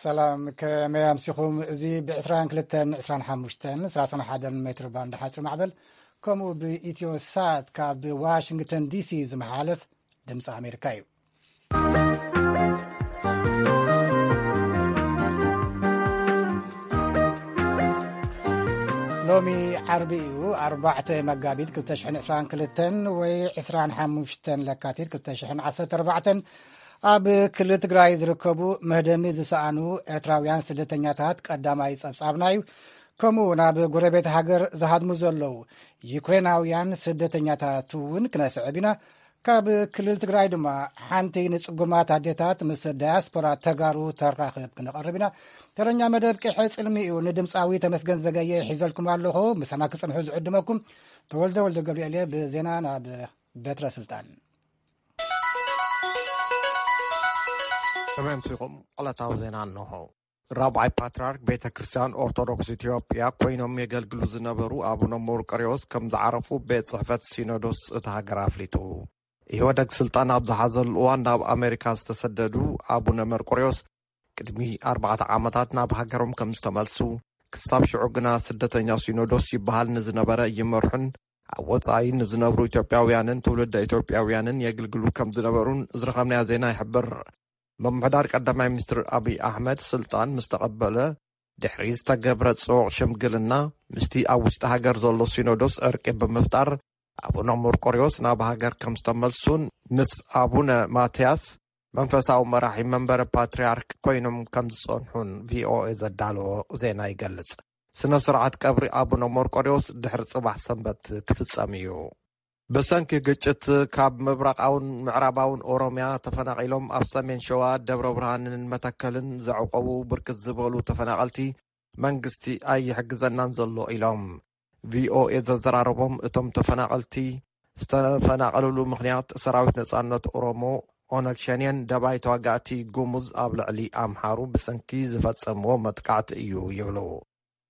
ሰላም፣ ከመይ ኣምሲኹም? እዚ ብ22፣ 25፣ 31 ሜትር ባንድ ሓፂር ማዕበል፣ ከምኡ ብኢትዮ ሳት ካብ ዋሽንግተን ዲሲ ዝመሓለፍ ድምፂ ኣሜሪካ እዩ። ሎሚ ዓርቢ እዩ፣ ኣርባዕተ መጋቢት ክልተ ሽሕን ዕስራን ክልተን ወይ ዕስራን ሓሙሽተን ለካቲት ክልተ ሽሕን ዓሰርተ ኣርባዕተን። ኣብ ክልል ትግራይ ዝርከቡ መህደሚ ዝሰኣኑ ኤርትራውያን ስደተኛታት ቀዳማይ ጸብጻብና እዩ። ከምኡ ናብ ጎረቤት ሃገር ዝሃድሙ ዘለዉ ዩክሬናውያን ስደተኛታት እውን ክነስዕብ ኢና። ካብ ክልል ትግራይ ድማ ሓንቲ ንጽጉማት ኣዴታት ምስ ዳያስፖራ ተጋሩ ተራኽብ ክነቐርብ ኢና። ተረኛ መደብ ቅሐ ጽልሚ እዩ። ንድምፃዊ ተመስገን ዘገየ ሒዘልኩም ኣለኹ። ምሳና ክጽንሑ ዝዕድመኩም ተወልደ ወልደ ገብርኤል እየ። ብዜና ናብ በትረ ስልጣን። ከመይ ኣምሲኹም? ዕለታዊ ዜና እንሆ። ራብዓይ ፓትርያርክ ቤተ ክርስቲያን ኦርቶዶክስ ኢትዮጵያ ኮይኖም የገልግሉ ዝነበሩ ኣቡነ መርቆሬዎስ ከም ዝዓረፉ ቤት ጽሕፈት ሲኖዶስ እታ ሃገር ኣፍሊጡ። ኢህወደግ ስልጣን ኣብ ዝሓዘሉ እዋን ናብ ኣሜሪካ ዝተሰደዱ ኣቡነ መርቆሬዎስ ቅድሚ ኣርባዕተ ዓመታት ናብ ሃገሮም ከም ዝተመልሱ፣ ክሳብ ሽዑ ግና ስደተኛ ሲኖዶስ ይበሃል ንዝነበረ ይመርሑን ኣብ ወጻኢ ንዝነብሩ ኢትዮጵያውያንን ትውልደ ኢትዮጵያውያንን የግልግሉ ከም ዝነበሩን ዝረኸብናዮ ዜና ይሕብር። ምምሕዳር ቀዳማይ ሚኒስትር ኣብይ ኣሕመድ ስልጣን ምስ ተቐበለ ድሕሪ ዝተገብረ ጽዑቕ ሽምግልና፣ ምስቲ ኣብ ውሽጢ ሃገር ዘሎ ሲኖዶስ ዕርቂ ብምፍጣር፣ ኣቡነ መርቆሬዎስ ናብ ሃገር ከም ዝተመልሱን ምስ ኣቡነ ማትያስ መንፈሳዊ መራሒ መንበረ ፓትርያርክ ኮይኖም ከም ዝጸንሑን ቪኦኤ ዘዳለዎ ዜና ይገልጽ። ስነ ስርዓት ቀብሪ ኣቡነ መርቆሬዎስ ድሕሪ ጽባሕ ሰንበት ክፍጸም እዩ። ብሰንኪ ግጭት ካብ ምብራቓውን ምዕራባውን ኦሮምያ ተፈናቒሎም ኣብ ሰሜን ሸዋ ደብረ ብርሃንን መተከልን ዘዕቆቡ ብርክት ዝበሉ ተፈናቐልቲ መንግስቲ ኣይሕግዘናን ዘሎ ኢሎም። ቪኦኤ ዘዘራረቦም እቶም ተፈናቐልቲ ዝተፈናቐልሉ ምኽንያት ሰራዊት ነጻነት ኦሮሞ ኦነግ ሸኔን ደባይ ተዋጋእቲ ጉሙዝ ኣብ ልዕሊ ኣምሓሩ ብሰንኪ ዝፈጸምዎ መጥቃዕቲ እዩ ይብሉ።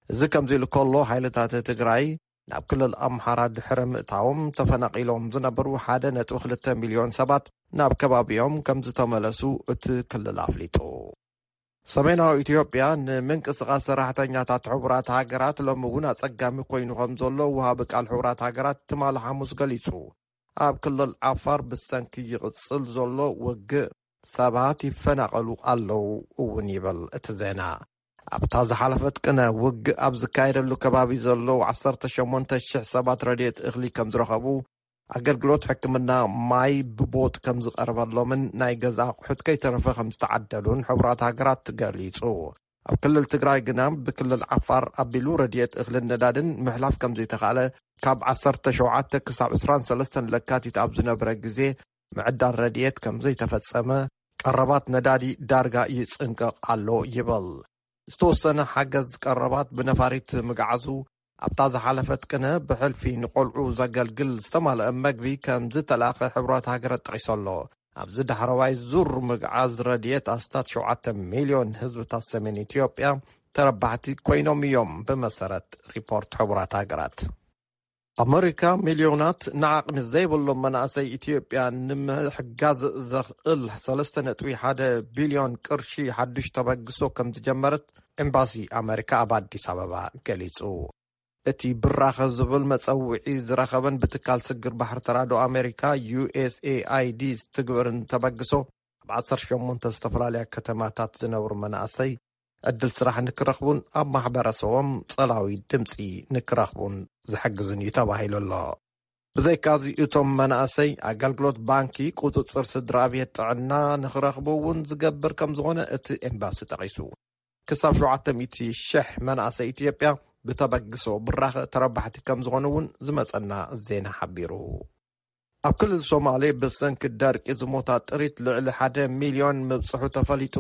እዚ ከምዚ ኢሉ ከሎ፣ ሓይልታት ትግራይ ናብ ክልል ኣምሓራ ድሕሪ ምእታዎም ተፈናቒሎም ዝነበሩ ሓደ ነጥቢ ክልተ ሚልዮን ሰባት ናብ ከባቢኦም ከም ዝተመለሱ እቲ ክልል ኣፍሊጡ። ሰሜናዊ ኢትዮጵያ ንምንቅስቓስ ሰራሕተኛታት ሕቡራት ሃገራት ሎሚ እውን ኣጸጋሚ ኮይኑ ከም ዘሎ ወሃቢ ቃል ሕቡራት ሃገራት ትማሊ ሓሙስ ገሊጹ። ኣብ ክልል ዓፋር ብሰንኪ ይቕጽል ዘሎ ውግእ ሰባት ይፈናቐሉ ኣለዉ እውን ይብል እቲ ዜና። ኣብታ ዝሓለፈት ቅነ ውግእ ኣብ ዝካየደሉ ከባቢ ዘለዉ ዓሰርተ ሸሞንተ ሽሕ ሰባት ረድኤት እኽሊ ከም ዝረኸቡ፣ ኣገልግሎት ሕክምና፣ ማይ ብቦጥ ከም ዝቐርበሎምን ናይ ገዛ ኣቑሑት ከይተረፈ ከም ዝተዓደሉን ሕቡራት ሃገራት ገሊጹ። ኣብ ክልል ትግራይ ግና ብክልል ዓፋር ኣቢሉ ረድኤት እኽልን ነዳድን ምሕላፍ ከም ዘይተኻእለ፣ ካብ ዓሰርተ ሸውዓተ ክሳብ ዕስራን ሰለስተን ለካቲት ኣብ ዝነበረ ግዜ ምዕዳል ረድኤት ከም ዘይተፈጸመ፣ ቀረባት ነዳዲ ዳርጋ ይጽንቀቕ ኣሎ ይብል። ዝተወሰነ ሓገዝ ቀረባት ብነፋሪት ምግዓዙ፣ ኣብታ ዝሓለፈት ቅነ ብሕልፊ ንቆልዑ ዘገልግል ዝተማልአ መግቢ ከም ዝተላእኸ ሕቡራት ሃገራት ጠቒሱ ኣሎ። ኣብዚ ዳሕረዋይ ዙር ምግዓዝ ረድኤት ኣስታት ሸውዓተ ሚልዮን ህዝብታት ሰሜን ኢትዮጵያ ተረባሕቲ ኮይኖም እዮም፣ ብመሰረት ሪፖርት ሕቡራት ሃገራት። ኣመሪካ ሚልዮናት ንዓቕሚ ዘይብሎም መናእሰይ ኢትዮጵያ ንምሕጋዝ ዘኽእል ሰለስተ ነጥቢ ሓደ ቢልዮን ቅርሺ ሓዱሽ ተበግሶ ከም ዝጀመረት ኤምባሲ ኣመሪካ ኣብ ኣዲስ ኣበባ ገሊጹ። እቲ ብራኸ ዝብል መጸውዒ ዝረኸበን ብትካል ስግር ባሕሪ ተራድኦ ኣመሪካ፣ ዩ ኤስ ኤ ኣይ ዲ፣ ዝትግበርን ተበግሶ፣ ኣብ ዓሰርተ ሸሞንተ ዝተፈላለያ ከተማታት ዝነብሩ መናእሰይ ዕድል ስራሕ ንክረኽቡን ኣብ ማሕበረሰቦም ጸላዊ ድምጺ ንክረኽቡን ዝሕግዝን እዩ ተባሂሉ ኣሎ። ብዘይካዚ፣ እቶም መናእሰይ ኣገልግሎት ባንኪ፣ ቁጽጽር ስድራ ቤት፣ ጥዕና ንክረኽቡ እውን ዝገብር ከም ዝኾነ እቲ ኤምባሲ ጠቒሱ። ክሳብ ሸውዓተ ሚእቲ ሽሕ መናእሰይ ኢትዮጵያ ብተበግሶ ብራኸ ተረባሕቲ ከም ዝኾኑ እውን ዝመጸና ዜና ሓቢሩ። ኣብ ክልል ሶማሌ ብሰንኪ ደርቂ ዝሞታ ጥሪት ልዕሊ ሓደ ሚልዮን ምብጽሑ ተፈሊጡ።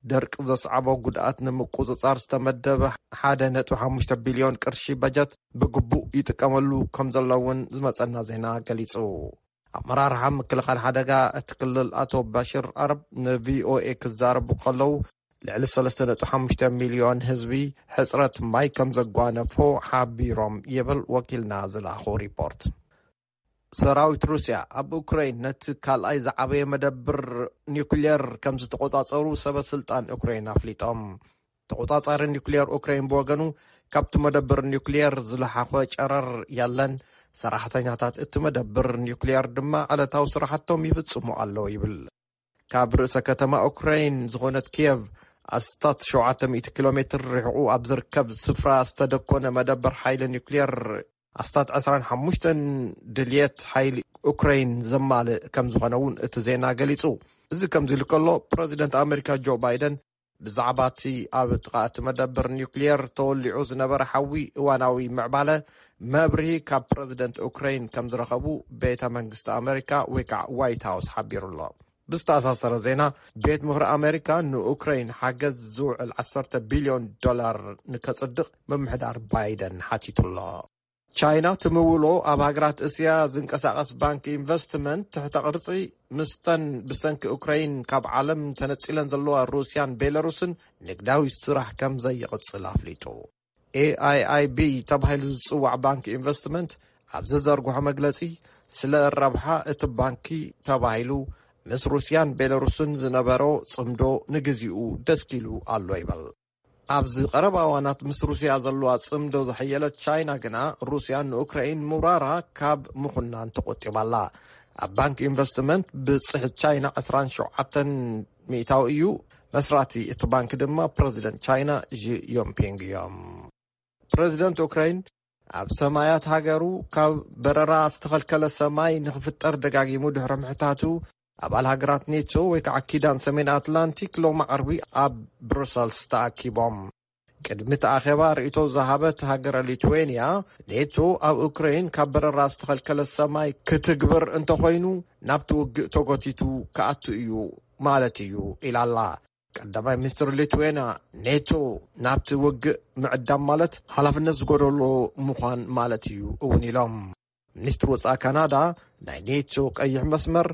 ደርቂ ዘስዓቦ ጉድኣት ንምቁጽጻር ዝተመደበ ሓደ ነጥቢ ሓሙሽተ ቢልዮን ቅርሺ በጀት ብግቡእ ይጥቀመሉ ከም ዘሎ እውን ዝመጸና ዜና ገሊጹ። ኣመራርሓ ምክልኻል ሓደጋ እቲ ክልል ኣቶ ባሽር ዓረብ ንቪኦኤ ክዛረቡ ከለዉ፣ ልዕሊ ሰለስተ ነጥቢ ሓሙሽተ ሚልዮን ህዝቢ ሕጽረት ማይ ከም ዘጓነፎ ሓቢሮም ይብል ወኪልና ዝለኣኾ ሪፖርት። ሰራዊት ሩስያ ኣብ ኡክራይን ነቲ ካልኣይ ዝዓበየ መደብር ኒውክልየር ከም ዝተቆጻጸሩ ሰበ ስልጣን ኡክራይን ኣፍሊጦም። ተቆጻጻሪ ኒውክልየር ኡክራይን ብወገኑ፣ ካብቲ መደብር ኒውክልየር ዝለሓኾ ጨረር የለን፣ ሰራሕተኛታት እቲ መደብር ኒውክልየር ድማ ዕለታዊ ስራሕቶም ይፍጽሙ ኣለዉ ይብል። ካብ ርእሰ ከተማ ኡክራይን ዝኾነት ኪየቭ ኣስታት ሸውዓተ ሚእቲ ኪሎ ሜትር ርሕቑ ኣብ ዝርከብ ስፍራ ዝተደኮነ መደበር ሓይሊ ኒውክልየር ኣስታት ዕስራን ሓሙሽተን ድልየት ሓይሊ ኡክራይን ዘማልእ ከም ዝኾነ እውን እቲ ዜና ገሊጹ። እዚ ከምዚ ኢሉ ከሎ፣ ፕረዚደንት ኣሜሪካ ጆ ባይደን ብዛዕባ እቲ ኣብ ጥቓ እቲ መደበር ኒውክልየር ተወሊዑ ዝነበረ ሓዊ እዋናዊ ምዕባለ መብርሂ ካብ ፕረዚደንት ኡክራይን ከም ዝረኸቡ ቤተ መንግስቲ ኣሜሪካ ወይ ከዓ ዋይት ሃውስ ሓቢሩ ኣሎ። ብዝተኣሳሰረ ዜና፣ ቤት ምኽሪ ኣሜሪካ ንኡክራይን ሓገዝ ዝውዕል ዓሰርተ ቢልዮን ዶላር ንከጽድቕ ምምሕዳር ባይደን ሓቲቱ ኣሎ። ቻይና ትምውሎ ኣብ ሃገራት እስያ ዝንቀሳቐስ ባንክ ኢንቨስትመንት ትሕተ ቅርጺ፣ ምስተን ብሰንኪ ኡክራይን ካብ ዓለም ተነጺለን ዘለዋ ሩስያን ቤላሩስን ንግዳዊ ስራሕ ከም ዘይቕጽል ኣፍሊጡ። ኤ ኣይ ኣይ ቢ ተባሂሉ ዝጽዋዕ ባንክ ኢንቨስትመንት ኣብ ዝዘርግሖ መግለጺ፣ ስለ ረብሓ እቲ ባንኪ ተባሂሉ ምስ ሩስያን ቤላሩስን ዝነበሮ ጽምዶ ንግዚኡ ደስኪሉ ኣሎ ይበል። ኣብዚ ቀረባ እዋናት ምስ ሩስያ ዘለዋ ጽምዶ ዘሐየለት ቻይና ግና፣ ሩስያ ንኡክራይን ምውራራ ካብ ምኹናን ተቖጢባላ። ኣብ ባንክ ኢንቨስትመንት ብጽሕት ቻይና ዕስራን ሸውዓተን ሚእታዊ እዩ። መስራቲ እቲ ባንክ ድማ ፕረዚደንት ቻይና ዢ ዮንፒንግ እዮም። ፕረዚደንት ኡክራይን ኣብ ሰማያት ሃገሩ ካብ በረራ ዝተኸልከለ ሰማይ ንኽፍጠር ደጋጊሙ ድሕሪ ምሕታቱ፣ ኣባል ሃገራት ኔቶ ወይ ከዓ ኪዳን ሰሜን ኣትላንቲክ ሎሚ ዓርቢ ኣብ ብሩሰልስ ተኣኪቦም። ቅድሚ እቲ ኣኼባ ርእይቶ ዝሃበት ሃገረ ሊትዌንያ፣ ኔቶ ኣብ ኡክራይን ካብ በረራ ዝተኸልከለ ሰማይ ክትግብር እንተኾይኑ፣ ናብቲ ውግእ ተጎቲቱ ክኣቱ እዩ ማለት እዩ ኢላላ። ቀዳማይ ሚኒስትር ሊትዌንያ፣ ኔቶ ናብቲ ውግእ ምዕዳም ማለት ሓላፍነት ዝጎደሎ ምዃን ማለት እዩ እውን ኢሎም። ሚኒስትር ወጻኢ ካናዳ፣ ናይ ኔቶ ቀይሕ መስመር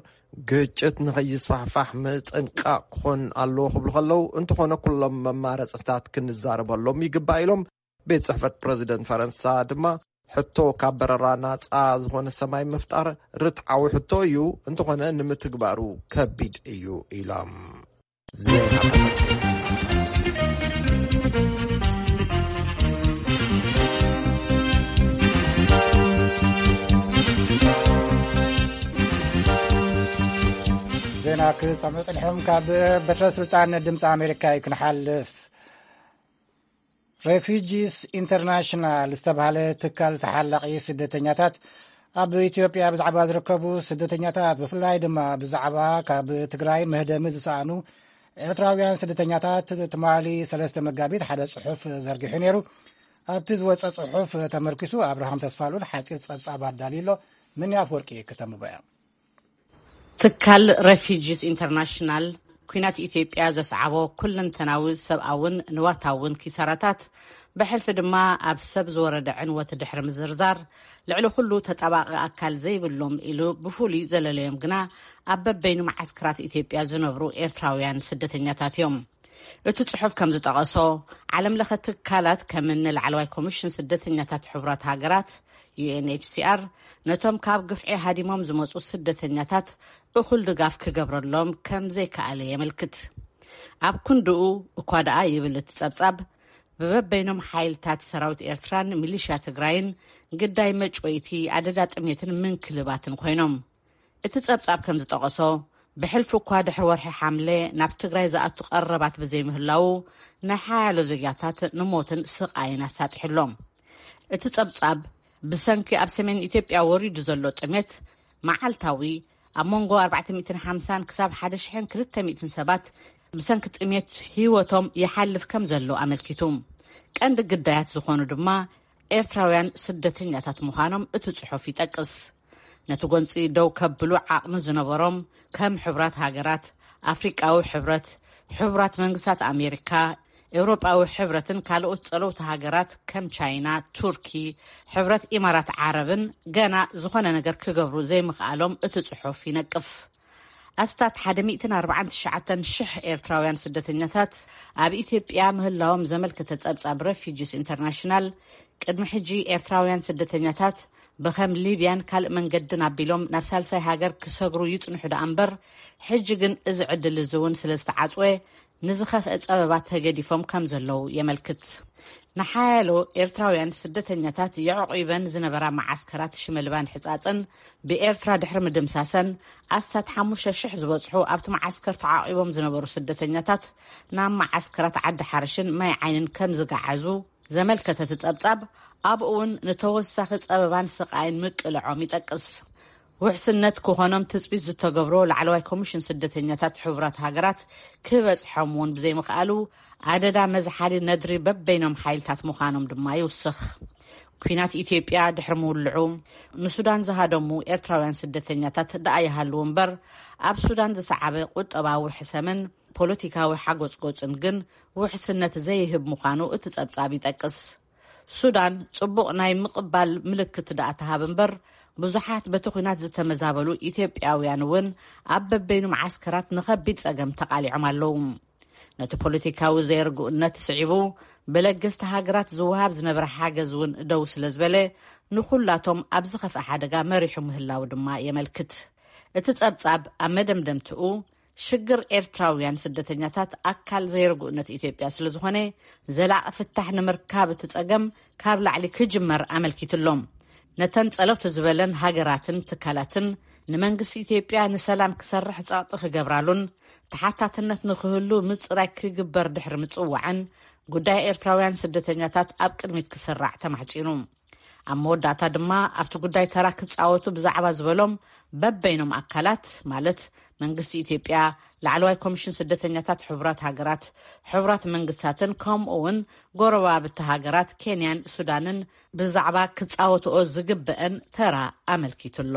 ግጭት ንኸይስፋሕፋሕ ምጥንቃቕ ክኾን ኣለዎ ክብሉ ከለዉ፣ እንተኾነ ኩሎም መማረጽታት ክንዛረበሎም ይግባእ ኢሎም። ቤት ጽሕፈት ፕረዚደንት ፈረንሳ ድማ፣ ሕቶ ካብ በረራ ናጻ ዝኾነ ሰማይ ምፍጣር ርትዓዊ ሕቶ እዩ፣ እንተኾነ ንምትግባሩ ከቢድ እዩ ኢሎም። ዜና ተፈጸመ። ዜና ክሰምዑ ጸኒሖም። ካብ በትረ ስልጣን ድምፂ ኣሜሪካ እዩ ክንሓልፍ። ሬፊጂስ ኢንተርናሽናል ዝተባህለ ትካል ተሓላቒ ስደተኛታት ኣብ ኢትዮጵያ ብዛዕባ ዝርከቡ ስደተኛታት፣ ብፍላይ ድማ ብዛዕባ ካብ ትግራይ መህደሚ ዝሰኣኑ ኤርትራውያን ስደተኛታት፣ ትማሊ ሰለስተ መጋቢት ሓደ ጽሑፍ ዘርጊሑ ነይሩ። ኣብቲ ዝወጸ ጽሑፍ ተመርኪሱ ኣብርሃም ተስፋሉል ሓጺር ጸብጻብ ኣዳልዩ ኣሎ። ምን ኣፍወርቂ ከተንብቦ እያ። ትካል ሬፊጂስ ኢንተርናሽናል፣ ኲናት ኢትዮጵያ ዘስዓቦ ኩለንተናዊ ሰብኣውን ንዋታውን ኪሳራታት፣ ብሕልፊ ድማ ኣብ ሰብ ዝወረደ ዕንወት ድሕሪ ምዝርዛር፣ ልዕሊ ኩሉ ተጣባቒ ኣካል ዘይብሎም ኢሉ ብፍሉይ ዘለለዮም ግና ኣብ በበይኑ መዓስከራት ኢትዮጵያ ዝነብሩ ኤርትራውያን ስደተኛታት እዮም። እቲ ጽሑፍ ከም ዝጠቐሶ፣ ዓለም ለኸ ትካላት ከም እኒ ላዕለዋይ ኮሚሽን ስደተኛታት ሕቡራት ሃገራት፣ ዩ ኤን ኤች ሲ ኣር፣ ነቶም ካብ ግፍዒ ሃዲሞም ዝመጹ ስደተኛታት እኹል ድጋፍ ክገብረሎም ከም ዘይከኣለ የመልክት። ኣብ ክንድኡ እኳ ደኣ ይብል እቲ ጸብጻብ፣ ብበበይኖም ሓይልታት ሰራዊት ኤርትራን ሚሊሽያ ትግራይን ግዳይ መጭወይቲ፣ ኣደዳ ጥሜትን ምንክልባትን ኮይኖም። እቲ ጸብጻብ ከም ዝጠቐሶ፣ ብሕልፊ እኳ ድሕሪ ወርሒ ሓምለ ናብ ትግራይ ዝኣቱ ቀረባት ብዘይምህላዉ፣ ናይ ሓያሎ ዜጋታት ንሞትን ስቓይን ኣሳጢሑ ኣሎ። እቲ ጸብጻብ፣ ብሰንኪ ኣብ ሰሜን ኢትዮጵያ ወሪዱ ዘሎ ጥሜት፣ መዓልታዊ ኣብ መንጎ ኣርባዕተ ሚእትን ሓምሳን ክሳብ ሓደ ሽሕን ክልተ ሚእትን ሰባት ብሰንኪ ጥሜት ህይወቶም ይሓልፍ ከም ዘሎ ኣመልኪቱ። ቀንዲ ግዳያት ዝኾኑ ድማ ኤርትራውያን ስደተኛታት ምዃኖም እቲ ጽሑፍ ይጠቅስ። ነቲ ጎንጺ ደው ከብሉ ዓቕሚ ዝነበሮም ከም ሕቡራት ሃገራት፣ ኣፍሪቃዊ ሕብረት፣ ሕቡራት መንግስታት ኣሜሪካ፣ ኤውሮጳዊ ሕብረትን ካልኦት ጸለውቲ ሃገራት ከም ቻይና፣ ቱርኪ፣ ሕብረት ኢማራት ዓረብን ገና ዝኾነ ነገር ክገብሩ ዘይምኽኣሎም እቲ ጽሑፍ ይነቅፍ። ኣስታት ሓደ ሚእትን ኣርባዓን ትሽዓተን ሽሕ ኤርትራውያን ስደተኛታት ኣብ ኢትዮጵያ ምህላዎም ዘመልከተ ጸብጻብ ሬፊጂስ ኢንተርናሽናል፣ ቅድሚ ሕጂ ኤርትራውያን ስደተኛታት ብኸም ሊብያን ካልእ መንገድን ኣቢሎም ናብ ሳልሳይ ሃገር ክሰግሩ ይጽንሑ ደኣ እምበር፣ ሕጂ ግን እዚ ዕድል እዚ እውን ስለ ዝተዓጽወ፣ ንዝኸፍአ ጸበባት ተገዲፎም ከም ዘለዉ የመልክት። ንሓያሎ ኤርትራውያን ስደተኛታት የዕቑበን ዝነበራ መዓስከራት ሽመልባን ሕጻጽን ብኤርትራ ድሕሪ ምድምሳሰን፣ ኣስታት ሓሙሽተ ሽሕ ዝበጽሑ ኣብቲ መዓስከር ተዓቒቦም ዝነበሩ ስደተኛታት ናብ መዓስከራት ዓዲ ሓርሽን ማይ ዓይንን ከም ዝገዓዙ ዘመልከተ እቲ ጸብጻብ፣ ኣብኡ እውን ንተወሳኺ ጸበባን ስቓይን ምቅልዖም ይጠቅስ። ውሕስነት ክኾኖም ትጽቢት ዝተገብሮ ላዕለዋይ ኮሚሽን ስደተኛታት ሕቡራት ሃገራት ክበጽሖም እውን ብዘይምኽኣሉ፣ ኣደዳ መዝሓሊ ነድሪ በበይኖም ሓይልታት ምዃኖም ድማ ይውስኽ። ኲናት ኢትዮጵያ ድሕሪ ምውልዑ፣ ንሱዳን ዝሃደሙ ኤርትራውያን ስደተኛታት ደኣ ይሃልዉ እምበር፣ ኣብ ሱዳን ዝሰዓበ ቁጠባዊ ሕሰምን ፖለቲካዊ ሓጎጽጎጽን ግን ውሕስነት ዘይህብ ምዃኑ እቲ ጸብጻብ ይጠቅስ። ሱዳን ጽቡቕ ናይ ምቕባል ምልክት ደኣ ትሃብ እምበር፣ ብዙሓት በቲ ኲናት ዝተመዛበሉ ኢትዮጵያውያን እውን ኣብ በበይኑ መዓስከራት ንኸቢድ ጸገም ተቓሊዖም ኣለዉ። ነቲ ፖለቲካዊ ዘይርግኡነት ስዒቡ፣ ብለገስቲ ሃገራት ዝወሃብ ዝነበረ ሓገዝ እውን ደው ስለ ዝበለ፣ ንኹላቶም ኣብ ዝኸፍአ ሓደጋ መሪሑ ምህላው ድማ የመልክት። እቲ ጸብጻብ ኣብ መደምደምትኡ፣ ሽግር ኤርትራውያን ስደተኛታት ኣካል ዘይርግኡነት ኢትዮጵያ ስለ ዝኾነ፣ ዘላቒ ፍታሕ ንምርካብ እቲ ጸገም ካብ ላዕሊ ክጅመር ኣመልኪቱ ኣሎ። ነተን ጸለውቲ ዝበለን ሃገራትን ትካላትን፣ ንመንግስቲ ኢትዮጵያ ንሰላም ክሰርሕ ጸቕጢ ክገብራሉን ተሓታትነት ንኽህሉ ምጽራይ ክግበር ድሕሪ ምጽዋዕን፣ ጉዳይ ኤርትራውያን ስደተኛታት ኣብ ቅድሚት ክስራዕ ተማሕጺኑ። ኣብ መወዳእታ ድማ ኣብቲ ጉዳይ ተራ ክጻወቱ ብዛዕባ ዝበሎም በበይኖም ኣካላት፣ ማለት መንግስቲ ኢትዮጵያ፣ ላዕለዋይ ኮሚሽን ስደተኛታት ሕቡራት ሃገራት፣ ሕቡራት መንግስታትን ከምኡ እውን ጎረባብቲ ሃገራት ኬንያን ሱዳንን ብዛዕባ ክጻወትኦ ዝግበአን ተራ ኣመልኪቱ ኣሎ።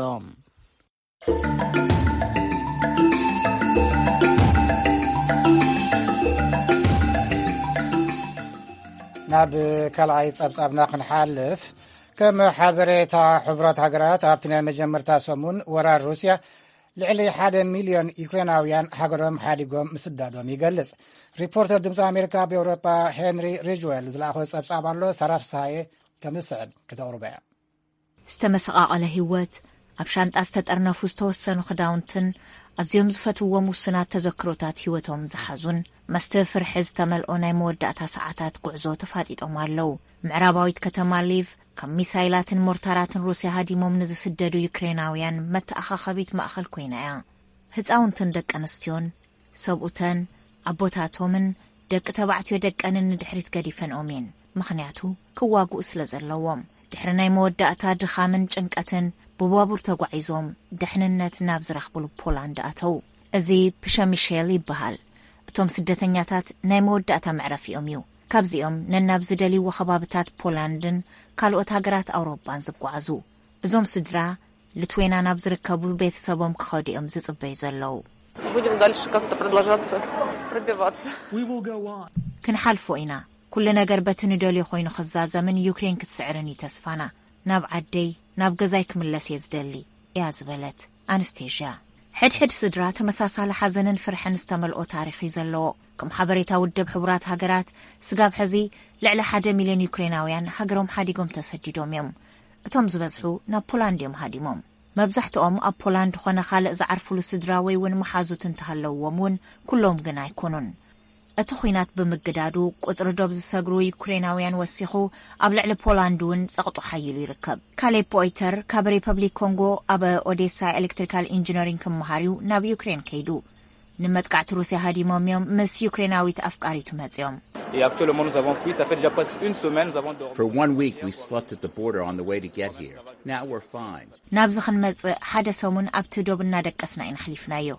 ናብ ካልኣይ ጸብጻብና ክንሓልፍ፣ ከም ሓበሬታ ሕቡራት ሃገራት፣ ኣብቲ ናይ መጀመርታ ሰሙን ወራር ሩስያ፣ ልዕሊ ሓደ ሚልዮን ዩክሬናውያን ሃገሮም ሓዲጎም ምስዳዶም ይገልጽ። ሪፖርተር ድምፂ ኣሜሪካ ኣብ ኤውሮጳ ሄንሪ ሪጅዌል ዝለኣኾ ጸብጻብ ኣሎ። ሳራ ፍስሃየ ከም ዝስዕብ ክተቕርቦ እያ። ዝተመሰቓቐለ ህይወት፣ ኣብ ሻንጣ ዝተጠርነፉ ዝተወሰኑ ክዳውንትን ኣዝዮም ዝፈትውዎም ውሱናት ተዘክሮታት ህይወቶም ዝሓዙን፣ መስተ ፍርሒ ዝተመልኦ ናይ መወዳእታ ሰዓታት ጉዕዞ ተፋጢጦም ኣለዉ። ምዕራባዊት ከተማ ሊቭ፣ ካብ ሚሳይላትን ሞርታራትን ሩስያ ሃዲሞም ንዝስደዱ ዩክሬናውያን መተኣኻኸቢት ማእኸል ኮይና እያ። ህፃውንትን ደቂ ኣንስትዮን፣ ሰብኡተን፣ ኣቦታቶምን ደቂ ተባዕትዮ ደቀንን ንድሕሪት ገዲፈንኦም እየን። ምኽንያቱ፣ ክዋግኡ ስለ ዘለዎም። ድሕሪ ናይ መወዳእታ ድኻምን ጭንቀትን፣ ብባቡር ተጓዒዞም ድሕንነት ናብ ዝረኽብሉ ፖላንድ ኣተዉ። እዚ ፕሸሚሼል ይበሃል። እቶም ስደተኛታት ናይ መወዳእታ መዕረፊኦም እዩ። ካብዚኦም ነናብ ዝደልይዎ ከባብታት ፖላንድን ካልኦት ሃገራት ኣውሮጳን ዝጓዓዙ። እዞም ስድራ፣ ልትዌና ናብ ዝርከቡ ቤተሰቦም ክኸዱ እዮም ዝጽበዩ ዘለዉ። Будем дальше как-то продолжаться, пробиваться. We will go on. ክንሓልፎ ኢና። ኩሉ ነገር በቲ ንደልዮ ኮይኑ ክዛዘምን ዩክሬን ክትስዕርን እዩ ተስፋና። ናብ ዓደይ፣ ናብ ገዛይ ክምለስ እየ ዝደሊ፣ እያ ዝበለት ኣንስቴዥያ። ሕድሕድ ስድራ ተመሳሳሊ ሓዘንን ፍርሕን ዝተመልኦ ታሪኽ እዩ ዘለዎ። ከም ሓበሬታ ውድብ ሕቡራት ሃገራት፣ ስጋብ ሕዚ ልዕሊ ሓደ ሚልዮን ዩክሬናውያን ሃገሮም ሓዲጎም ተሰዲዶም እዮም። እቶም ዝበዝሑ ናብ ፖላንድ እዮም ሃዲሞም። መብዛሕትኦም ኣብ ፖላንድ ኾነ ካልእ ዝዓርፉሉ ስድራ ወይ እውን መሓዙት እንተሃለውዎም እውን፣ ኩሎም ግን ኣይኮኑን። እቲ ኲናት ብምግዳዱ፣ ቁጽሪ ዶብ ዝሰግሩ ዩክሬናውያን ወሲኹ፣ ኣብ ልዕሊ ፖላንድ እውን ጸቕጡ ሓይሉ ይርከብ። ካሌብ ፖይተር ካብ ሪፐብሊክ ኮንጎ ኣብ ኦዴሳ ኤሌክትሪካል ኢንጂነሪንግ ክመሃር እዩ ናብ ዩክሬን ከይዱ። ንመጥቃዕቲ ሩስያ ሃዲሞም እዮም ምስ ዩክሬናዊት ኣፍቃሪቱ መጺኦም። Et actuellement, nous avons fui, ça fait déjà presque une semaine, nous avons dormi. For one week, we slept at the border on the way to get here. Now we're fine. ናብዚ ክንመጽእ ሓደ ሰሙን ኣብቲ ዶብ እናደቀስና ኢና ኣሕሊፍናዮ።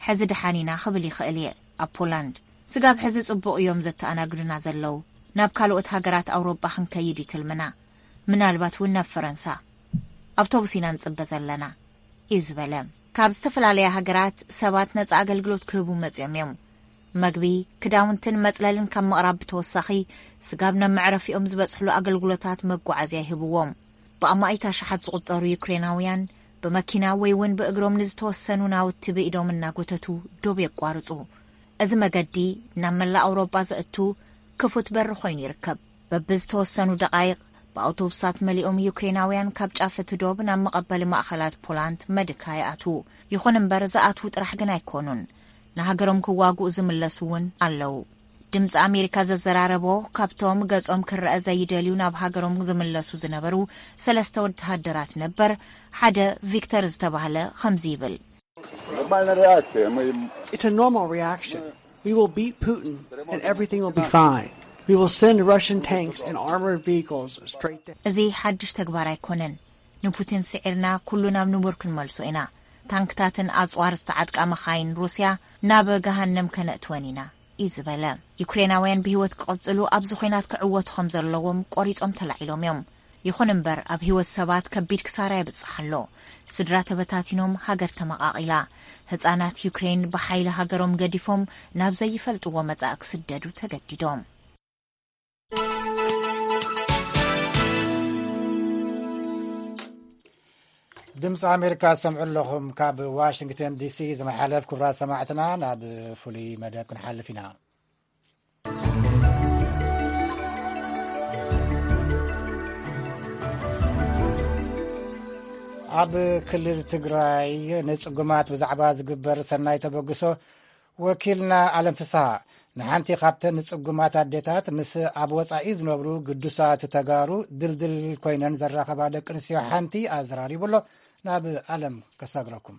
ሕዚ ደሓን ኢና ክብል ይኽእል እየ። ኣብ ፖላንድ፣ ስጋብ ሕዚ ጽቡቕ እዮም ዘተኣናግዱና ዘለዉ። ናብ ካልኦት ሃገራት ኣውሮጳ ክንከይድ እዩ ትልምና። ምናልባት እውን ናብ ፈረንሳ። ኣውቶቡስ ኢና ንጽበ ዘለና፣ እዩ ዝበለ። ካብ ዝተፈላለያ ሃገራት ሰባት ነጻ ኣገልግሎት ክህቡ መጺኦም እዮም። መግቢ፣ ክዳውንትን መጽለልን ካብ ምቕራብ ብተወሳኺ፣ ስጋብ ናብ መዕረፊኦም ዝበጽሕሉ ኣገልግሎታት መጓዓዝያ ይህብዎም። ብኣማኢት ኣሽሓት ዝቑጸሩ ዩክሬናውያን ብመኪና ወይ እውን ብእግሮም ንዝተወሰኑ ናውቲ ብኢዶም እናጎተቱ ዶብ የቋርጹ። እዚ መገዲ ናብ መላእ ኣውሮጳ ዘእቱ ክፉት በሪ ኮይኑ ይርከብ። በብዝተወሰኑ ደቓይቕ ብኣውቶቡሳት መሊኦም ዩክሬናውያን ካብ ጫፍ እቲ ዶብ ናብ መቐበሊ ማእኸላት ፖላንድ መድካ ይኣትዉ። ይኹን እምበር፣ ዝኣትዉ ጥራሕ ግን ኣይኮኑን። ንሃገሮም ክዋግኡ ዝምለሱ እውን ኣለዉ። ድምፂ ኣሜሪካ ዘዘራረቦ፣ ካብቶም ገጾም ክረአ ዘይደልዩ ናብ ሃገሮም ዝምለሱ ዝነበሩ ሰለስተ ወተሃደራት ነበር፣ ሓደ ቪክተር ዝተባህለ ከምዚ ይብል። Normalna reakcija. It's a normal reaction. We will beat Putin and everything will be fine. We will send Russian tanks and armored vehicles straight down. እዚ ሓድሽ ተግባር ኣይኮነን። ንፑቲን ስዒርና ኩሉ ናብ ንቡር ክንመልሶ ኢና። ታንክታትን ኣጽዋር ዝተዓጥቃ መኻይን ሩስያ ናብ ገሃነም ከነእትወን ኢና እዩ ዝበለ። ዩክሬናውያን ብህይወት ክቐጽሉ ኣብዚ ኹናት ክዕወቱ ከም ዘለዎም ቆሪጾም ተላዒሎም እዮም። ይኹን እምበር ኣብ ህይወት ሰባት ከቢድ ክሳራ የብጽሕ ኣሎ። ስድራ ተበታቲኖም፣ ሃገር ተመቓቒላ። ህጻናት ዩክሬን ብሓይሊ ሃገሮም ገዲፎም ናብ ዘይፈልጥዎ መጻኢ ክስደዱ ተገዲዶም። ድምፂ ኣሜሪካ ዝሰምዑ ኣለኹም። ካብ ዋሽንግተን ዲሲ ዝመሓለፍ ክቡራት ሰማዕትና ናብ ፍሉይ መደብ ክንሓልፍ ኢና። ኣብ ክልል ትግራይ ንፅጉማት ብዛዕባ ዝግበር ሰናይ ተበግሶ ወኪልና ኣለም ፍስሃ ንሓንቲ ካብተን ንፅጉማት ኣዴታት ምስ ኣብ ወፃኢ ዝነብሩ ግዱሳት ተጋሩ ድልድል ኮይነን ዘራኸባ ደቂ ኣንስትዮ ሓንቲ ኣዘራሪቡ ኣሎ። ናብ ኣለም ከሳግረኩም።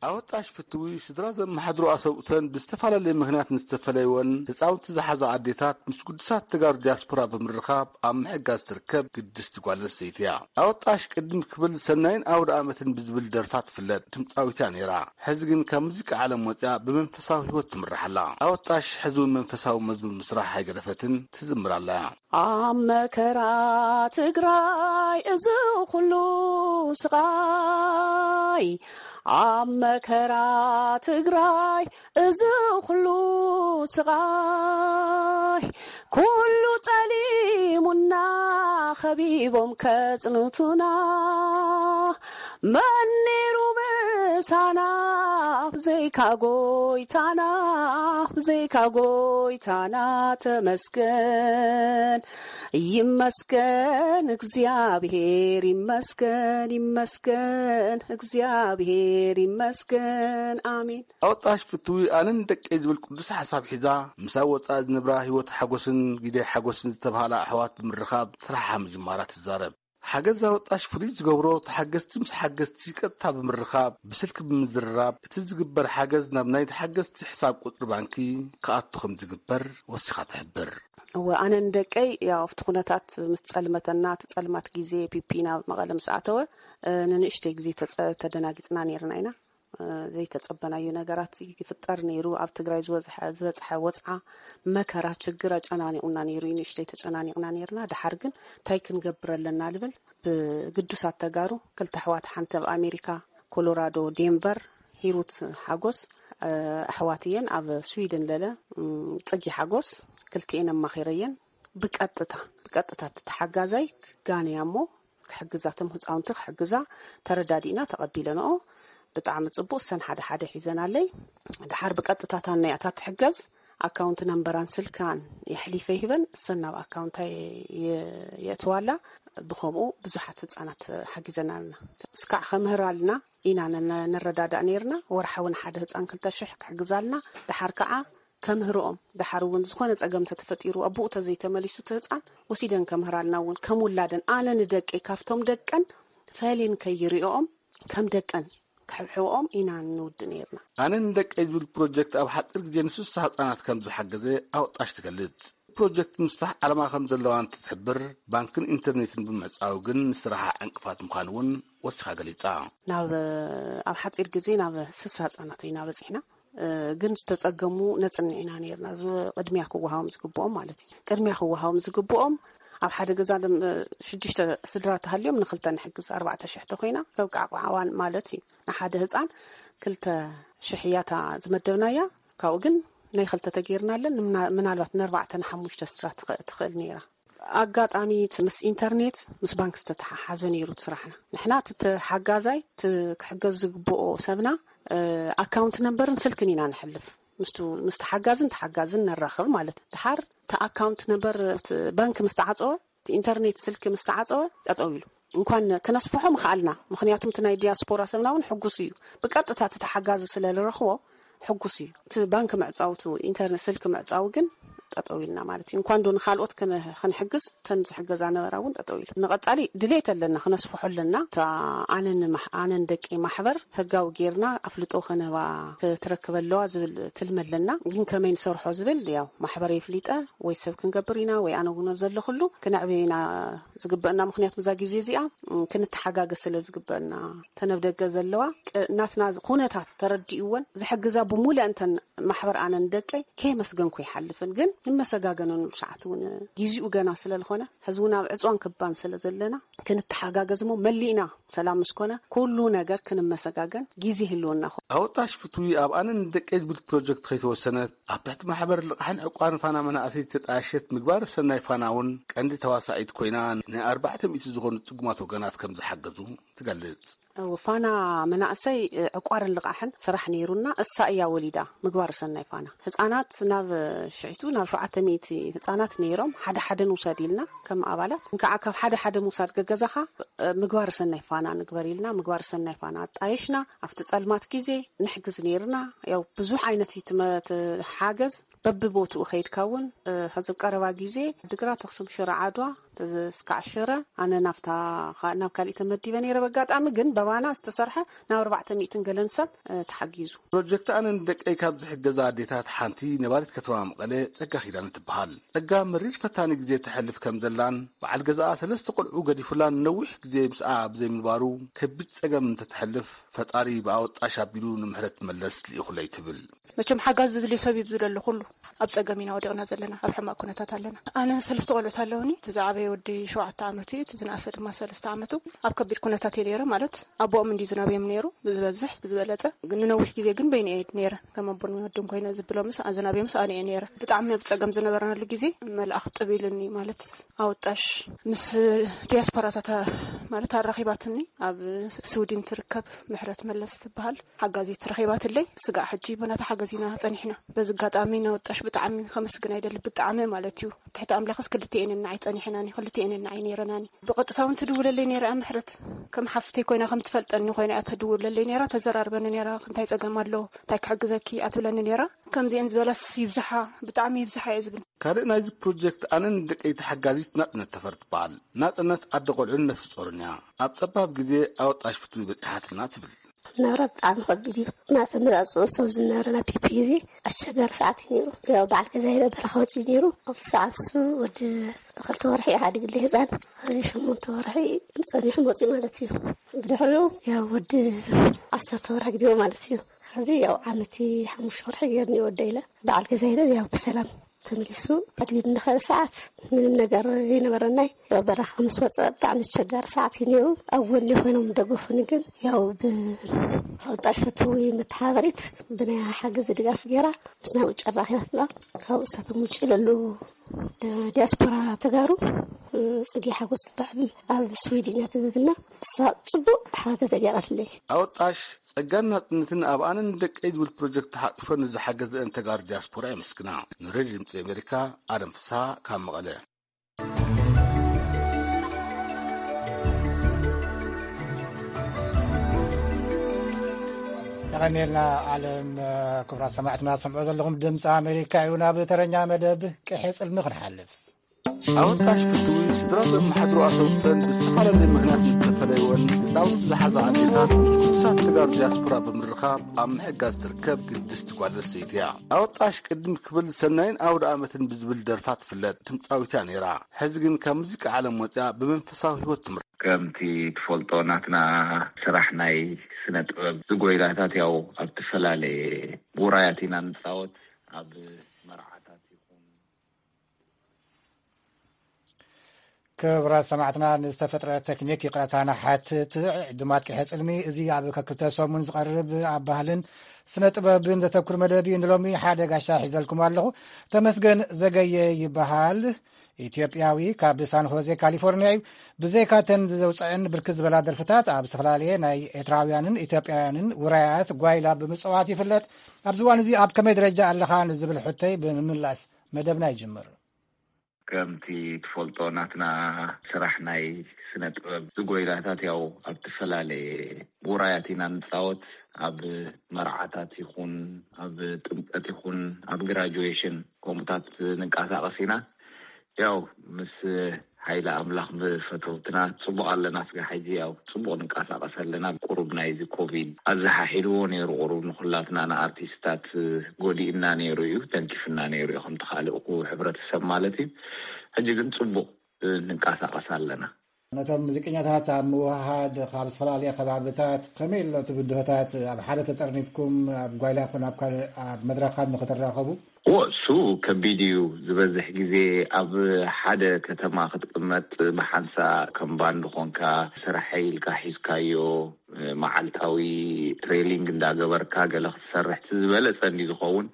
ኣወጣሽ ፍትዊ ስድራ ዘመሓድሩ ኣሰብኡተን ብዝተፈላለየ ምኽንያት ንዝተፈለይወን ህፃውንቲ ዝሓዛ ኣዴታት ምስ ግዱሳት ተጋሩ ዲያስፖራ ብምርኻብ ኣብ ምሕጋዝ ትርከብ ግድስቲ ጓል ኣንስተይቲ እያ። ኣወጣሽ ቅድም ክብል ሰናይን ኣውደ ኣመትን ብዝብል ደርፋ ትፍለጥ ድምፃዊት እያ ነይራ። ሕዚ ግን ካብ ሙዚቃ ዓለም ወፂኣ ብመንፈሳዊ ህይወት ትምራሕ ኣላ። ኣወጣሽ ሕዚ እውን መንፈሳዊ መዝሙር ምስራሕ ኣይገደፈትን፣ ትዝምር ኣላ። ኣብ መከራ ትግራይ እዚ ኩሉ ስቓይ፣ ኣብ መከራ ትግራይ እዚ ኩሉ ስቓይ፣ ኩሉ ጸሊሙና ኸቢቦም ከጽንቱና፣ መን ነይሩ ምሳና ብዘይካ ጎይታና፣ ብዘይካ ጎይታና ተመስገን። ይመስገን እግዚኣብሔር፣ ይመስገን፣ ይመስገን፣ እግዚኣብሔር ይመስገን። ኣሜን። ኣወጣሽ ፍትዊ ኣነን ደቀይ ዝብል ቅዱስ ሓሳብ ሒዛ፣ ምስ ኣብ ወፃኢ ዝነብራ ህይወት ሓጎስን ጊደይ ሓጎስን ዝተባህላ ኣሕዋት ብምርኻብ ስራሓ ምጅማራ ትዛረብ። ሓገዝ ኣወጣሽ ፍሉይ ዝገብሮ፣ ተሓገዝቲ ምስ ሓገዝቲ ቀጥታ ብምርኻብ፣ ብስልኪ ብምዝርራብ፣ እቲ ዝግበር ሓገዝ ናብ ናይ ተሓገዝቲ ሕሳብ ቁፅሪ ባንኪ ክኣቱ ከም ዝግበር ወሲኻ ትሕብር። እወ፣ ኣነ ንደቀይ፣ ያው፣ ኣብቲ ኩነታት ምስ ጸልመተና፣ እቲ ጸልማት ግዜ ፒፒ ናብ መቐለ ምስ ኣተወ፣ እ፣ ንንእሽተይ ግዜ ተጸ-፣ ተደናጊጽና ነይርና ኢና። እ፣ ዘይተጸበናዮ ነገራት ይፍጠር ነይሩ። ኣብ ትግራይ ዝበዝሐ-፣ ዝበጽሐ ወጽዓ፣ መከራ፣ ችግር ኣጨናኒቑና ነይሩ እዩ። ንእሽተይ ተጨናኒቕና ነይርና። ደሓር ግን እንታይ ክንገብር ኣለና ልብል፣ ብግዱሳት ተጋሩ፣ ክልተ ኣሕዋት፣ ሓንቲ ኣብ ኣሜሪካ ኮሎራዶ ዴንቨር፣ ሂሩት ሓጎስ፣ እ፣ ኣሕዋት እየን። ኣብ ስዊድን ለለ፣ እም፣ ጽጊ ሓጎስ፣ ክልቲኤን ኣማኺረየን። ብቀጥታ፣ ብቀጥታ እቲ ተሓጋዛይ ክጋነያ እሞ ክሕግዛ፣ እቶም ህፃውንቲ ክሕግዛ ተረዳዲእና ተቐቢለንኦ። ብጣዕሚ ጽቡቕ። እሰን ሓደ ሓደ ሒዘናለይ። ደሓር ብቀጥታ እታ ናይ ኣታ ትሕገዝ ኣካውንት ነምበራን ስልካን የሕሊፈ ይህበን፣ እሰን ናብ ኣካውንታ የ-፣ የ-፣ የእትዋላ። ብኸምኡ ብዙሓት ህፃናት ሓጊዘና ኣለና። እስካዕ ከምህር ኣልና ኢና ነ-፣ ነ-፣ ንረዳዳእ ነይርና። ወርሓዊ ንሓደ ህፃን ክልተ ሽሕ ክሕግዛልና። ደሓር ከዓ ከምህርኦም፣ ደሓር እውን ዝኾነ ጸገም ተተፈጢሩ፣ ኣቦኡ ተዘይተመሊሱ እቲ ህፃን ወሲደን ከምህራልና እውን ከም ውላደን፣ ኣነ ንደቀይ ካብቶም ደቀን ፈሊን ከይሪኦም ከም ደቀን ክሕብሕብኦም ኢና ንውድ ነይርና። ኣነ ንደቀይ ዝብል ፕሮጀክት ኣብ ሓፂር ግዜ ንስሳ ህፃናት ከም ዝሓገዘ ኣወጣሽ ትገልጽ። ፕሮጀክት ምስፋሕ ዓላማ ከም ዘለዋ እንትትሕብር፣ ባንክን ኢንተርኔትን ብምዕጻው ግን ንስራሓ ዕንቅፋት ምዃኑ እውን ወሲኻ ገሊጻ። ናብ፣ ኣብ ሓፂር ግዜ ናብ ስሳ ህፃናት ኢና በፂሕና። እ፣ ግን ዝተጸገሙ ነጽንዕ ኢና ነይርና። እዚ ቅድሚያ ክወሃቦም ዝግብኦም ማለት እዩ። ቅድሚያ ክወሃቦም ዝግብኦም ኣብ ሓደ ገዛ ደም-፣ ሽዱሽተ ስድራ ተሃልዮም ንኽልተ ንሕግዝ፣ ኣርባዕተ ሽሕ ተኾይና፣ ከብቃዕ ቋዕዋን ማለት እዩ። ንሓደ ህፃን ክልተ ሽሕ እያ እታ ዝመደብናያ። ካብኡ ግን ናይ ክልተ ተገይርናለን፣ ምና-፣ ምናልባት ንኣርባዕተ ንሓሙሽተ ስድራ ትኸ-፣ ትኽእል ነይራ። ኣጋጣሚ እቲ ምስ ኢንተርኔት፣ ምስ ባንክ ዝተተሓሓዘ ነይሩ እቲ ስራሕና። ንሕና እቲ ተሓጋዛይ፣ እቲ ክሕገዝ ዝግብኦ ሰብና፣ እ፣ ኣካውንት ነምበርን ስልክን ኢና ንሕልፍ። ምስቱ፣ ምስ ተሓጋዝን ተሓጋዝን ነራኽብ ማለት። ድሓር እቲ ኣካውንት ነምበር እቲ ባንክ ምስ ተዓጸወ፣ እቲ ኢንተርኔት፣ ስልኪ ምስ ተዓጸወ ጠጠው ኢሉ። እንኳን ክነስፍሖ ምኽኣልና፣ ምኽንያቱም እቲ ናይ ዲያስፖራ ሰብና እውን ሕጉስ እዩ። ብቀጥታ እቲ ተሓጋዚ ስለ ዝረኽቦ ሕጉስ እዩ። እቲ ባንክ ምዕጻውቱ፣ ኢንተርኔት፣ ስልኪ ምዕጻው ግን ጠጠው ኢልና ማለት እዩ። እንኳን ዶ ንኻልኦት ክን-፣ ክንሕግዝ፣ ተን ዝሕገዛ ነበራ እውን ጠጠው ኢሉ። ንቐጻሊ ድሌት ኣለና፣ ክነስፍሖ ኣለና። እታ ኣነን ማሕ-፣ ኣነን ደቂ ማሕበር ህጋዊ ጌርና ኣፍልጦ ከነባ ክትረክብ ኣለዋ ዝብል ትልሚ ኣለና። ግን ከመይ ንሰርሖ ዝብል ያው ማሕበር የፍሊጠ ወይ ሰብ ክንገብር ኢና ወይ ኣነ እውን ኣብ ዘለኹሉ ክነዕብዮ ኢና ዝግበአና። ምኽንያቱ እዛ ግዜ እዚኣ፣ ም፣ ክንተሓጋገዝ ስለ ዝግበአና፣ ተን ኣብ ደገ ዘለዋ ቅ-፣ ናትና ኩነታት ተረዲእወን ዝሕግዛ ብሙሉእ እንተን ማሕበር ኣነን ደቀይ ከየመስገንኩ ይሓልፍን። ግን ንመሰጋገነሉ ሰዓት እውን ግዚኡ ገና ስለ ዝኾነ፣ ሕዚ እውን ኣብ ዕፅዋን ክባን ስለ ዘለና፣ ክንተሓጋገዝ እሞ መሊእና ሰላም ምስ ኮነ ኩሉ ነገር ክንመሰጋገን ግዜ ይህልወና። ኣወጣሽ ፍትዊ ኣብ ኣነን ደቀይ ዝብል ፕሮጀክት ከይተወሰነት፣ ኣብ ትሕቲ ማሕበር ልቓሕን ዕቋርን ፋና መናእሰይ ተጣየሸት ምግባር ሰናይ ፋና እውን ቀንዲ ተዋሳኢት ኮይና፣ ንኣርባዕተ ሚእቲ ዝኾኑ ጽጉማት ወገናት ከም ዝሓገዙ ትገልጽ። እው፣ ፋና መናእሰይ፣ እ፣ ዕቋርን ልቓሕን ስራሕ ነይሩና፣ እሳ እያ ወሊዳ ምግባር ሰናይ ፋና። ህጻናት ናብ፣ እ፣ ሽዒቱ ናብ ሸውዓተ ሚእቲ ህጻናት ነይሮም፣ ሓደ ሓደ ንውሰድ ኢልና ከም ኣባላት። እንካዓ ካብ ሓደ ሓደ ምውሳድ ገገዛኻ፣ እ፣ ምግባር ሰናይ ፋና ንግበር ኢልና፣ ምግባር ሰናይ ፋና ኣጣየሽና። ኣብቲ ጸልማት ግዜ ንሕግዝ ነይርና። ያው ብዙሕ ዓይነት እዩ ትመ-፣ እቲ ሓገዝ። በብቦትኡ ከይድካ እውን፣ እ፣ ሕዚ ኣብ ቀረባ ግዜ ድግራት፣ ኣኽሱም፣ ሽረ፣ ዓድዋ፣ እዚ እስካዕ ሽረ፣ ኣነ ናብታ ኻ-፣ ናብ ካሊእ ተመዲበ ነይረ። በጋጣሚ ግን በባና ዝተሰርሐ ናብ ኣርባዕተ ሚእትን ገለን ሰብ፣ እ፣ ተሓጊዙ። ፕሮጀክት ኣነ ንደቀይ ካብ ዝሕገዛ ኣዴታት ሓንቲ ነባሪት ከተማ መቐለ ጸጋ ኪዳነ ትበሃል። ጸጋ መሪር ፈታኒ ግዜ ተሕልፍ ከም ዘላን በዓል ገዛኣ ሰለስተ ቆልዑ ገዲፉላን ነዊሕ ግዜ ምስኣ ብዘይምንባሩ ከቢድ ጸገም እንተተሕልፍ ፈጣሪ ብኣወጣሽ ኣቢሉ ንምሕረት መለስ ልኢኹለይ ትብል። መቸም ሓጋዝ ዝድልዮ ሰብ እዩ ዝደሎ ኩሉ። ኣብ ጸገም ኢና ወዲቕና ዘለና፣ ኣብ ሕማቕ ኩነታት ኣለና። ኣነ ሰለስተ ቆልዑት ኣለውኒ። እቲ ዝዓበየ ወዲ ሸውዓተ ዓመቱ እዩ፣ እቲ ዝነኣሰ ድማ ሰለስተ ዓመቱ። ኣብ ከቢድ ኩነታት እየ ነይረ፣ ማለት ኣቦኦም እንዲ ዝናብዮም ነይሩ፣ ብዝበዝሕ፣ ብዝበለጸ። ግን ንነዊሕ ግዜ ግን በይነ እየ ነይረ። ከም ኣቦን ወድን ኮይነ ዝብሎምስ፣ ዝናብዮምስ ኣነ እየ ነይረ። ብጣዕሚ ኣብ ጸገም ዝነበርናሉ ግዜ መልኣኽ ጥብ ኢሉኒ፣ ማለት ኣወጣሽ ምስ ዲያስፖራታት ማለት ኣራኺባትኒ። ኣብ ስዊድን ትርከብ ምሕረት መለስ ትበሃል ሓጋዚት ረኺባትለይ። ስጋዕ ሕጂ ብናታ ሓገዝ ኢና ጸኒሕና። በዚ ኣጋጣሚ ነወጣሽ ብጣዕሚ ከመስግና ይደሊ፣ ብጣዕሚ ማለት እዩ። ትሕቲ ኣምላኽስ ክልቲኤን እየን ንዓይ ጸኒሐናኒ፣ ክልቲኤን እየን ንዓይ ነይረናኒ። ብቐጥታ እውን ትድውለለይ ነይራ እያ ምሕረት። ከም ሓፍተይ ኮይና፣ ከም ትፈልጠኒ ኮይና እያ ትድውለለይ ነይራ፣ ተዘራርበኒ ነይራ። "እንታይ ጸገም ኣሎ? እንታይ ክሕግዘኪ?" እያ ትብለኒ ነይራ። ከምዚኤን ዝበላስ ይብዝሓ፣ ብጣዕሚ ይብዝሓ እየ ዝብል። ካልእ ናይዚ ፕሮጀክት ኣነን ደቀይ ተሓጋዚት ናጽነት ተፈሪ ትበሃል። ናጽነት ኣደ ቆልዑን ነፍሲ ጾርን እያ። ኣብ ጸባብ ግዜ ኣወጣሽ ፍትዊ በጺሓትና ትብል። ናብራ ብጣዕሚ ከቢድ እዩ። ናተ መዛጽኡ ሰብ ዝነበረ ናብ ፒፒ ግዜ ኣሸጋሪ ሰዓት እዩ ነይሩ። ያው በዓል ገዛ ይበ በረኻ ወፂኡ ነይሩ። ኣብቲ ሰዓት እሱ ወዲ ክልተ ወርሒ ይሓድግለ ህፃን። እዚ ሸሞንተ ወርሒ ጸኒሑ መፂኡ ማለት እዩ። ብድሕሪኡ ያው ወዲ ዓሰርተ ወርሒ ግዲሞ ማለት እዩ። ሕዚ ያው ዓመቲ ሓሙሽተ ወርሒ ገይርኒ ወደ ኢለ በዓል ገዛ ኢለ ያው ብሰላም ተመሊሱ። ኣድጊ እንድኸደ ሰዓት ምንም ነገር ዘይነበረናይ። ያው በረኻ ምስ ወፀ ብጣዕሚ ኣስቸጋሪ ሰዓት እዩ ነይሩ። ኣብ ጎኒ ኮይኖም ደገፉኒ፣ ግን ያው ብወጣት ፍትዊ መተሓባበሪት ብናይ ሓገዝ ድጋፍ ገይራ ምስ ናብኡ ጨራኺባትና። ካብ እሳቶም ውጭ ለሉ ዲያስፖራ ተጋሩ ፅጌ ሓጎስ ትበሃል ኣብ ስዊድን እያ ትብብና። እሳ ፅቡቅ ሓገዝ ገይራትለይ። ኣወጣሽ ጸጋን ናጽነትን ኣብ ኣነን ደቀይ ዝብል ፕሮጀክት ተሓቂፈን ንዝሓገዘአን ተጋሩ ዲያስፖራ የመስግና። ንሬድዮ ድምጺ ኣሜሪካ፣ ኣደም ፍስሃ ካብ መቐለ። የቐንየልና ኣለም። ክቡራት ሰማዕትና፣ ሰምዖ ዘለኹም ድምፂ ኣሜሪካ እዩ። ናብ ተረኛ መደብ ቅሐ ጽልሚ ክንሓልፍ። ኣወጣሽ ፍትዊ ስድራ ዘመሓድሩ ኣሰብተን ብዝተፈላለየ ምኽንያት ዝተፈለይወን ህፃውንቲ ዝሓዛ ኣዴታት ምስ ቅዱሳት ተጋሩ ዲያስፖራ ብምርኻብ ኣብ ምሕጋዝ ትርከብ ግድስቲ ጓል ኣንስተይቲ እያ። ኣወጣሽ ቅድም ክብል ሰናይን ኣውደ ኣመትን ብዝብል ደርፋ ትፍለጥ ድምፃዊት እያ ነይራ። ሕዚ ግን ካብ ሙዚቃ ዓለም ወፂኣ ብመንፈሳዊ ህይወት ትምራ። ከምቲ ትፈልጦ ናትና ስራሕ ናይ ስነ ጥበብ ዝጎይላታት ያው ኣብ ዝተፈላለየ ውራያት ኢና ንፃወት። ኣብ መርዓታት ይኹን ክቡራት ሰማዕትና፣ ንዝተፈጥረ ቴክኒክ ይቕረታ ንሓትት። ዕዱማት ቅሐ ጽልሚ፣ እዚ ኣብ ከክልተ ሰሙን ዝቐርብ ኣብ ባህልን ስነ ጥበብን ዘተኩር መደብ እዩ። ንሎሚ ሓደ ጋሻ ሒዘልኩም ኣለኹ። ተመስገን ዘገየ ይበሃል። ኢትዮጵያዊ፣ ካብ ሳን ሆዜ ካሊፎርኒያ እዩ። ብዘይካተን ዘውፅአን ብርክት ዝበላ ደርፍታት ኣብ ዝተፈላለየ ናይ ኤርትራውያንን ኢትዮጵያውያንን ውራያት ጓይላ ብምፅዋት ይፍለጥ። ኣብዚ እዋን እዚ ኣብ ከመይ ደረጃ ኣለኻ ንዝብል ሕቶይ ብምምላስ መደብና ይጅምር። ከምቲ ትፈልጦ ናትና ስራሕ ናይ ስነ ጥበብ ዝጎይላታት ያው ኣብ ዝተፈላለየ ውራያት ኢና ንጻወት። ኣብ መርዓታት ይኹን፣ ኣብ ጥምቀት ይኹን፣ ኣብ ግራጁዌሽን ከምኡታት ንንቀሳቐስ ኢና። ያው ምስ ሓይሊ ኣምላኽ ብፈተውትና ጽቡቕ ኣለና። ስጋ ሕጂ ያው ጽቡቕ ንንቀሳቐስ ኣለና። ቁሩብ ናይዚ ኮቪድ ኣዘሓሒልዎ ነይሩ። ቁሩብ ንኹላትና ንኣርቲስታት ጎዲእና ነይሩ እዩ፣ ተንኪፍና ነይሩ እዩ፣ ከምቲ ካልእ እኩ ሕብረተሰብ ማለት እዩ። ሕጂ ግን ጽቡቕ ንንቀሳቐስ ኣለና። ነቶም ሙዚቀኛታት ኣብ ምውሃድ ካብ ዝተፈላለየ ከባብታት ከመይ ኣሎ እቲ ብድሆታት? ኣብ ሓደ ተጠርኒፍኩም ኣብ ጓይላ ኮን ኣብ ካልእ ኣብ መድረኻት ንክትራኸቡ? እዎ፣ እሱ ከቢድ እዩ። ዝበዝሕ ግዜ ኣብ ሓደ ከተማ ክትቅመጥ ብሓንሳ ከም ባንድ ኮንካ ስራሐይ ኢልካ ሒዝካዮ መዓልታዊ ትሬሊንግ እንዳገበርካ ገለ ክትሰርሕ እቲ ዝበለጸ እንዲ ዝኸውን።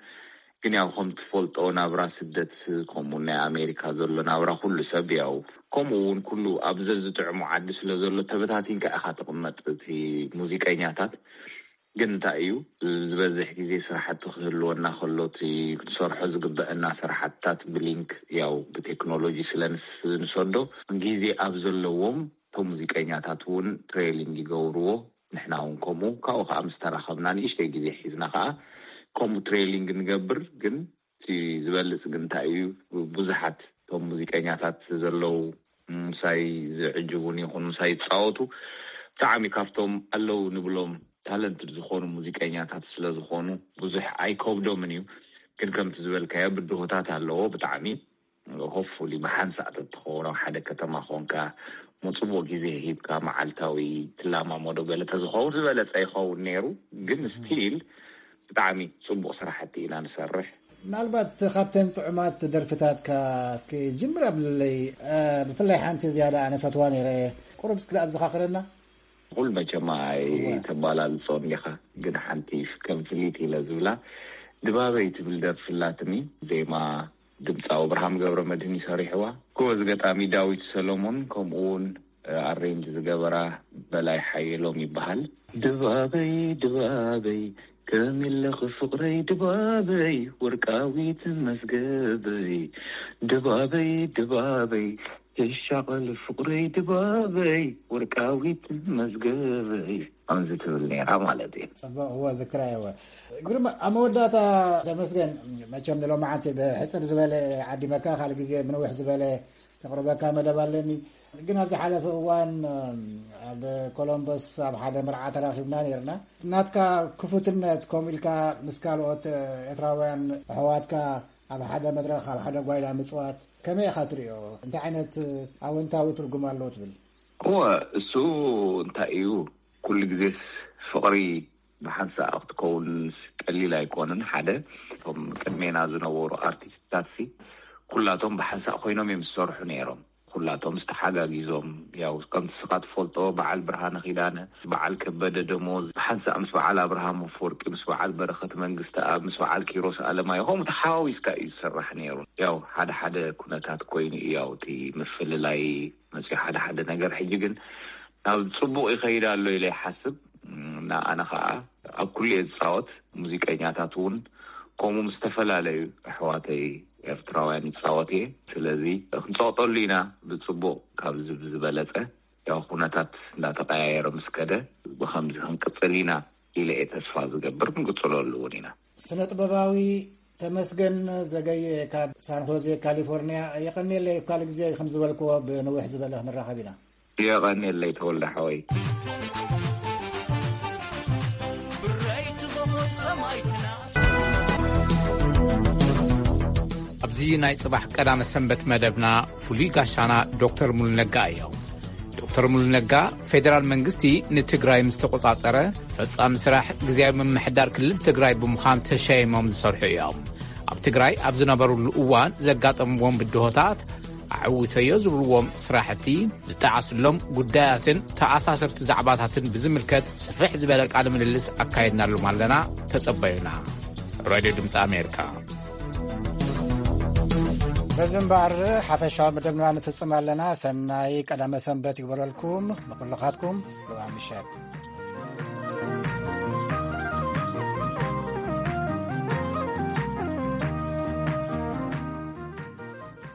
ግን ያው ከም ትፈልጦ ናብራ ስደት ከምኡ ናይ ኣሜሪካ ዘሎ ናብራ ኩሉ ሰብ ያው ከምኡ እውን ኩሉ ኣብ ዘዝጥዕሙ ዓዲ ስለ ዘሎ ተበታቲንካ ኢኻ ትቕመጥ። እቲ ሙዚቀኛታት ግን እንታይ እዩ ዝበዝሕ ግዜ ስራሕቲ ክህልወና ከሎ እቲ ክንሰርሖ ዝግበአና ስራሕትታት ብሊንክ ያው ብቴክኖሎጂ ስለ ንስ- ንሰዶ ግዜ ኣብ ዘለዎም እቶም ሙዚቀኛታት እውን ትሬሊንግ ይገብርዎ። ንሕና እውን ከምኡ ካብኡ ከዓ ምስ ተራኸብና ንእሽተይ ግዜ ሒዝና ከዓ ከምኡ ትሬሊንግ ንገብር። ግን እቲ ዝበልፅ ግን እንታይ እዩ ብዙሓት እቶም ሙዚቀኛታት ዘለዉ ምሳይ ዝዕጅቡን ይኹን ምሳይ ዝፃወቱ ብጣዕሚ ካብቶም ኣለዉ ንብሎም ታለንትድ ዝኾኑ ሙዚቀኛታት ስለ ዝኾኑ ብዙሕ ኣይከብዶምን እዩ። ግን ከምቲ ዝበልካዮ ብድሆታት ኣለዎ ብጣዕሚ። ሆፉሊ ብሓንሳእ ተትኸውን ኣብ ሓደ ከተማ ኮንካ መፅቡቕ ግዜ ሂብካ መዓልታዊ ትላማመዶ ገለ ተዝኸውን ዝበለፀ ይኸውን ነይሩ። ግን ስቲል ብጣዕሚ ፅቡቕ ስራሕቲ ኢና ንሰርሕ። ምናልባት ካብተን ጥዑማት ደርፍታትካ እስኪ ጅምር ኣብለይ። ብፍላይ ሓንቲ ዝያዳ ኣነ ፈትዋ ነይረ። ቁሩብ እስኪ ኣዘኻኽረና። ኩል መቸማ ኣይተባላልጾን ዲኻ ግን ሓንቲ ከም ፍሊት ኢለ ዝብላ ድባበይ ትብል ደርፊ ኣላትኒ። ዜማ ድምፃዊ ኣብርሃም ገብረ መድህን ይሰሪሕዋ። ጎበዝ ገጣሚ ዳዊት ሰሎሞን ከምኡ እውን ኣሬንጅ ዝገበራ በላይ ሓየሎም ይበሃል። ድባበይ ድባበይ ከሚለኽ ፍቕረይ ድባበይ ወርቃዊት መዝገበይ ድባበይ ድባበይ ትሻቐል ፍቕረይ ድባበይ ወርቃዊት መዝገበይ ከምዚ ትብል ነይራ ማለት እዩ። ጽቡቕ እወ ዝክራ እወ። ግርማ ኣብ መወዳእታ ተመስገን መቸም ንሎማዓንቲ ብሕጽር ዝበለ ዓዲመካ ካልእ ግዜ ብንውሕ ዝበለ ተቕርበካ መደብ ኣለኒ። ግን ኣብ ዝሓለፈ እዋን ኣብ ኮሎምበስ ኣብ ሓደ መርዓ ተራኺብና ነርና። ናትካ ክፉትነት ከምኡ ኢልካ ምስ ካልኦት ኤርትራውያን ኣሕዋትካ ኣብ ሓደ መድረኽ ኣብ ሓደ ጓይላ ምጽዋት ከመይ ኢኻ ትሪኦ? እንታይ ዓይነት ኣወንታዊ ትርጉም ኣለዎ ትብል? እወ፣ እሱ እንታይ እዩ፣ ኩሉ ግዜስ ፍቕሪ ብሓንሳእ ክትከውን ቀሊል ኣይኮንን። ሓደ እቶም ቅድሜና ዝነበሩ ኣርቲስትታት ሲ ኩላቶም ብሓንሳእ ኮይኖም እዮም ዝሰርሑ ነይሮም። ኩላቶም ዝተሓጋጊዞም ያው ከምቲ ስኻ ትፈልጦ በዓል ብርሃነ ኪዳነ፣ በዓል ከበደ ደሞዝ ብሓንሳእ ምስ በዓል ኣብርሃም ኣፈወርቂ፣ ምስ በዓል በረኸት መንግስቲ ኣብ ምስ በዓል ኪሮስ ኣለማዮ ከምኡ ተሓዋዊስካ እዩ ዝስራሕ ነይሩ። ያው ሓደ ሓደ ኩነታት ኮይኑ እዩ ያው እቲ ምፍልላይ መፅዮ ሓደ ሓደ ነገር። ሕጂ ግን ናብ ፅቡቕ ይኸይድ ኣሎ ኢለ ይሓስብ። እና ኣነ ከዓ ኣብ ኩሉ እየ ዝፃወት። ሙዚቀኛታት እውን ከምኡ ምስ ዝተፈላለዩ ኣሕዋተይ ኤርትራውያን ይፃወት እየ። ስለዚ ክንፀቕጠሉ ኢና ብፅቡቕ ካብዚ ብዝበለፀ ያው ኩነታት እንዳተቀያየረ ምስ ከደ ብከምዚ ክንቅፅል ኢና ኢለ እየ ተስፋ ዝገብር። ክንቅፅለሉ እውን ኢና። ስነ ጥበባዊ ተመስገን ዘገየ ካብ ሳን ሆዜ ካሊፎርኒያ፣ የቐንየለይ። ኣብ ካልእ ግዜ ከም ዝበልክዎ ብንውሕ ዝበለ ክንራኸብ ኢና። የቐንየለይ ተወልደ ሓወይ። ኣብዚ ናይ ጽባሕ ቀዳመ ሰንበት መደብና ፍሉይ ጋሻና ዶክተር ሙሉ ነጋ እዮም። ዶክተር ሙሉ ነጋ፣ ፌደራል መንግስቲ ንትግራይ ምስ ተቆጻጸረ፣ ፈጻሚ ስራሕ ግዝያዊ ምምሕዳር ክልል ትግራይ ብምዃን ተሸይሞም ዝሰርሑ እዮም። ኣብ ትግራይ ኣብ ዝነበሩሉ እዋን ዘጋጠምዎም ብድሆታት፣ ኣዕዊተዮ ዝብልዎም ስራሕቲ፣ ዝጠዓስሎም ጉዳያትን ተኣሳሰርቲ ዛዕባታትን ብዝምልከት ስፍሕ ዝበለ ቃለ ምልልስ ኣካይድናሎም ኣለና። ተጸበዩና። ራድዮ ድምፂ ኣሜሪካ። በዚ እምበኣር ሓፈሻዊ መደብና ንፍጽም ኣለና። ሰናይ ቀዳመ ሰንበት ይግበረልኩም ንኩልኻትኩም። ሎኣ ምሸት